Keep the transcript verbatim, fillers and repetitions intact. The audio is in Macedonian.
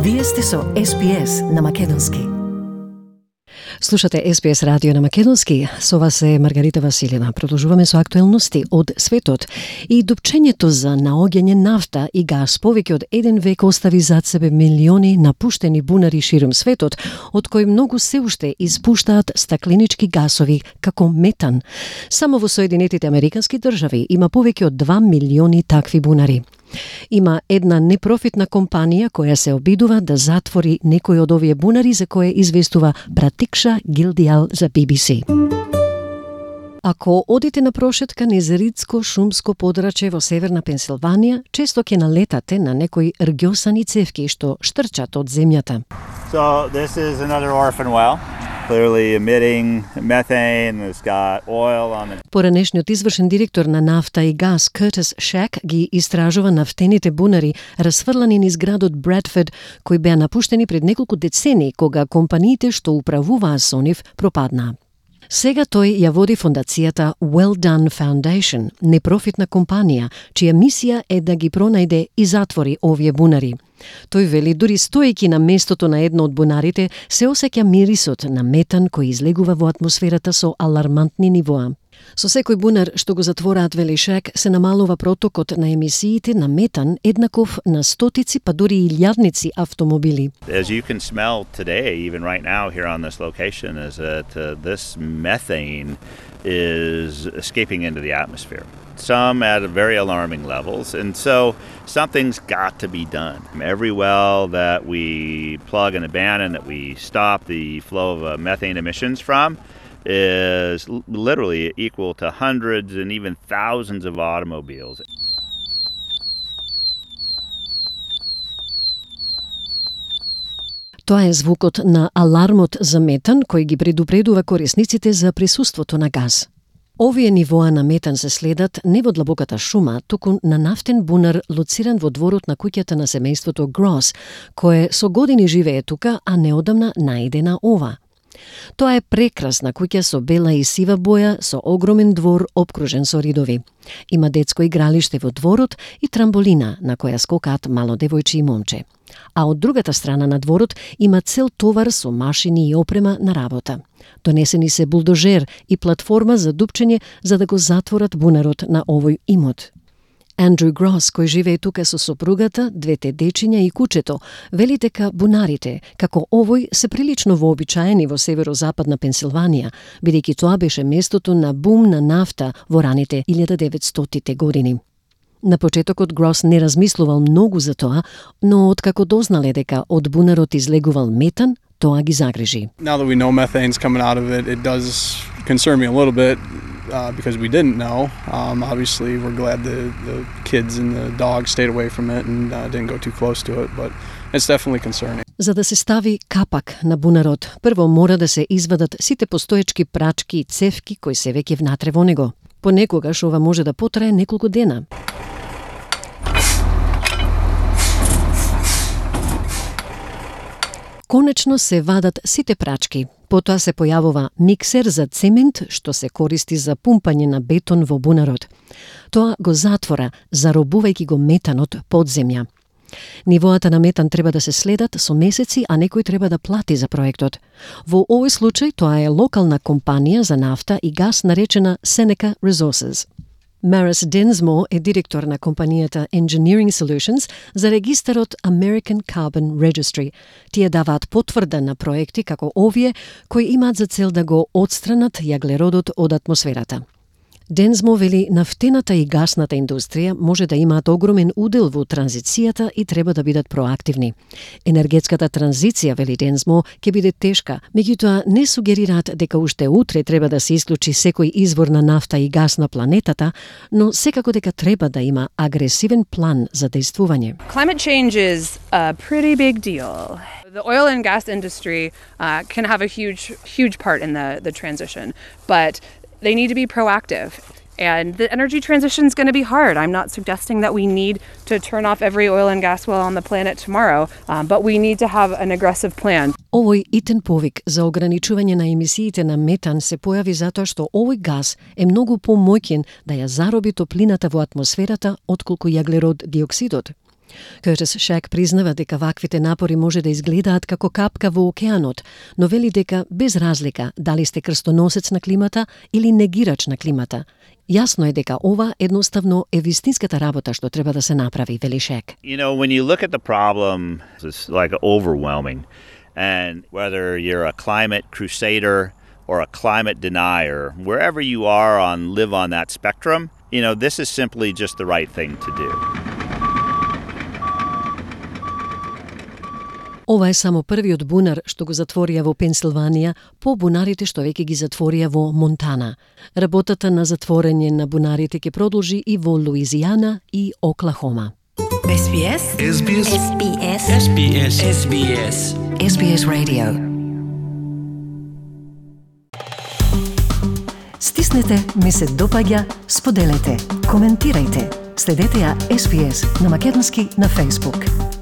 Вие сте со Ес Би Ес на Македонски. Слушате Ес Би Ес радио на Македонски. Со вас е Маргарита Василева. Продолжуваме со актуелности од светот. И дупчењето за наоѓање нафта и газ повеќе од еден век остави зад себе милиони напуштени бунари ширум светот, од кои многу се уште испуштаат стакленички гасови како метан. Само во Соединетите Американски држави има повеќе од два милиони такви бунари. Има една непрофитна компанија која се обидува да затвори некој од овие бунари, за кое известува Пратикша Гилдијал за Би Би Си. Ако одите на прошетка низ ридско шумско подрачје во северна Пенсилванија, често ќе налетате на некои рѓосани цевки што штрчат од земјата. So this is another orphan well. Clearly emitting methane. It's got oil on it. Поранешниот извршен директор на нафта и газ Кертис Шек ги истражува нафтените бунари расфрлани низ градот Бредфорд, кои беа напуштени пред неколку децении кога компаниите што управуваа со нив пропаднаа. Сега тој ја води фондацијата Well Done Foundation, непрофитна компанија, чија мисија е да ги пронајде и затвори овие бунари. Тој вели дури стоејќи на местото на едно од бунарите се осеќа мирисот на метан кој излегува во атмосферата со алармантни нивоа. Со секој бунар што го затвораат, вели Шек, се намалува протокот на емисиите на метан еднаков на стотици па дури и илјадници автомобили. As you can smell today, even right now here on this location, is that uh, this methane is escaping into the atmosphere. Some at very alarming levels, and so something's got to be done. Every well that we plug and abandon, that we stop the flow of uh, methane emissions from, is literally equal to hundreds and even thousands of automobiles. Тоа е звукот на алармот за метан кој ги предупредува корисниците за присуството на газ. Овие нивоа на метан се следат не во длабоката шума, туку на нафтен бунар лоциран во дворот на куќата на семејството Грос, кое со години живее тука, а неодамна наиде на ова. Тоа е прекрасна куќа со бела и сива боја, со огромен двор обкружен со ридови. Има детско игралиште во дворот и трамболина на која скокаат мало девојче и момче. А од другата страна на дворот има цел товар со машини и опрема на работа. Донесени се булдожер и платформа за дупчење за да го затворат бунарот на овој имот. Андрю Грос, кој живее тука со сопругата, двете дечиња и кучето, вели дека бунарите, како овој, се прилично вообичаени во северозападна Пенсилванија, бидејќи тоа беше местото на бум на нафта во раните илјада деветстотите години. На почетокот Грос не размислувал многу за тоа, но откако дознале дека од бунарот излегувал метан, тоа ги загрижи. Now that we know methane's coming out of it, it does concern me a little bit uh, because we didn't know. Um, obviously, we're glad the, the kids and the dog stayed away from it and uh, didn't go too close to it, but it's definitely concerning. За да се стави капак на бунарот, прво мора да се извадат сите постоечки прачки и цевки кои се веќе внатре во него. Понекогаш ова може да потрае неколку дена. Конечно се вадат сите прачки. Потоа се појавува миксер за цемент што се користи за пумпање на бетон во бунарот. Тоа го затвора, заробувајќи го метанот под земја. Нивоата на метан треба да се следат со месеци, а некој треба да плати за проектот. Во овој случај тоа е локална компанија за нафта и газ наречена Seneca Resources. Maris Densmore е директор на компанијата Engineering Solutions за регистарот American Carbon Registry. Тие даваат потврда на проекти како овие кои имаат за цел да го отстранат јаглеродот од атмосферата. Дензмо вели нафтената и гасната индустрија може да имаат огромен удел во транзицијата и треба да бидат проактивни. Енергетската транзиција, вели Дензмо, ќе биде тешка, меѓутоа не сугерираат дека уште утре треба да се исклучи секој извор на нафта и гас на планетата, но секако дека треба да има агресивен план за дејствување. Climate change is a pretty big deal. The oil and gas industry uh, can have a huge, huge part in the, the transition, but they need to be proactive. And the energy transition is going to be hard. I'm not suggesting that we need to turn off every oil and gas well on the planet tomorrow, um, but we need to have an aggressive plan. Овој итен повик за ограничување на емисиите на метан се појави затоа што овој газ е многу помоќен да ја зароби топлината во атмосферата отколку јаглерод диоксидот. Curtis Shack признава дека ваквите напори може да изгледаат како капка во океанот, но вели дека без разлика дали сте крстоносец на климата или негирач на климата, јасно е дека ова едноставно е вистинската работа што треба да се направи, вели Shack. You know, when you look at the problem, it's like overwhelming. And whether you're a climate crusader or a climate denier, wherever you are on live on that spectrum, you know, this is simply just the right thing to do. Ова е само првиот бунар што го затворија во Пенсилванија по бунарите што веќе ги затворија во Монтана. Работата на затворење на бунарите ќе продолжи и во Луизијана и Оклахома. Ес Би Ес. Ес Би Ес. Ес Би Ес. Ес Би Ес. Ес Би Ес. Ес Би Ес Radio. Стиснете, ми се допаѓа, споделете, коментирајте. Следете ја Ес Би Ес на македонски на Facebook.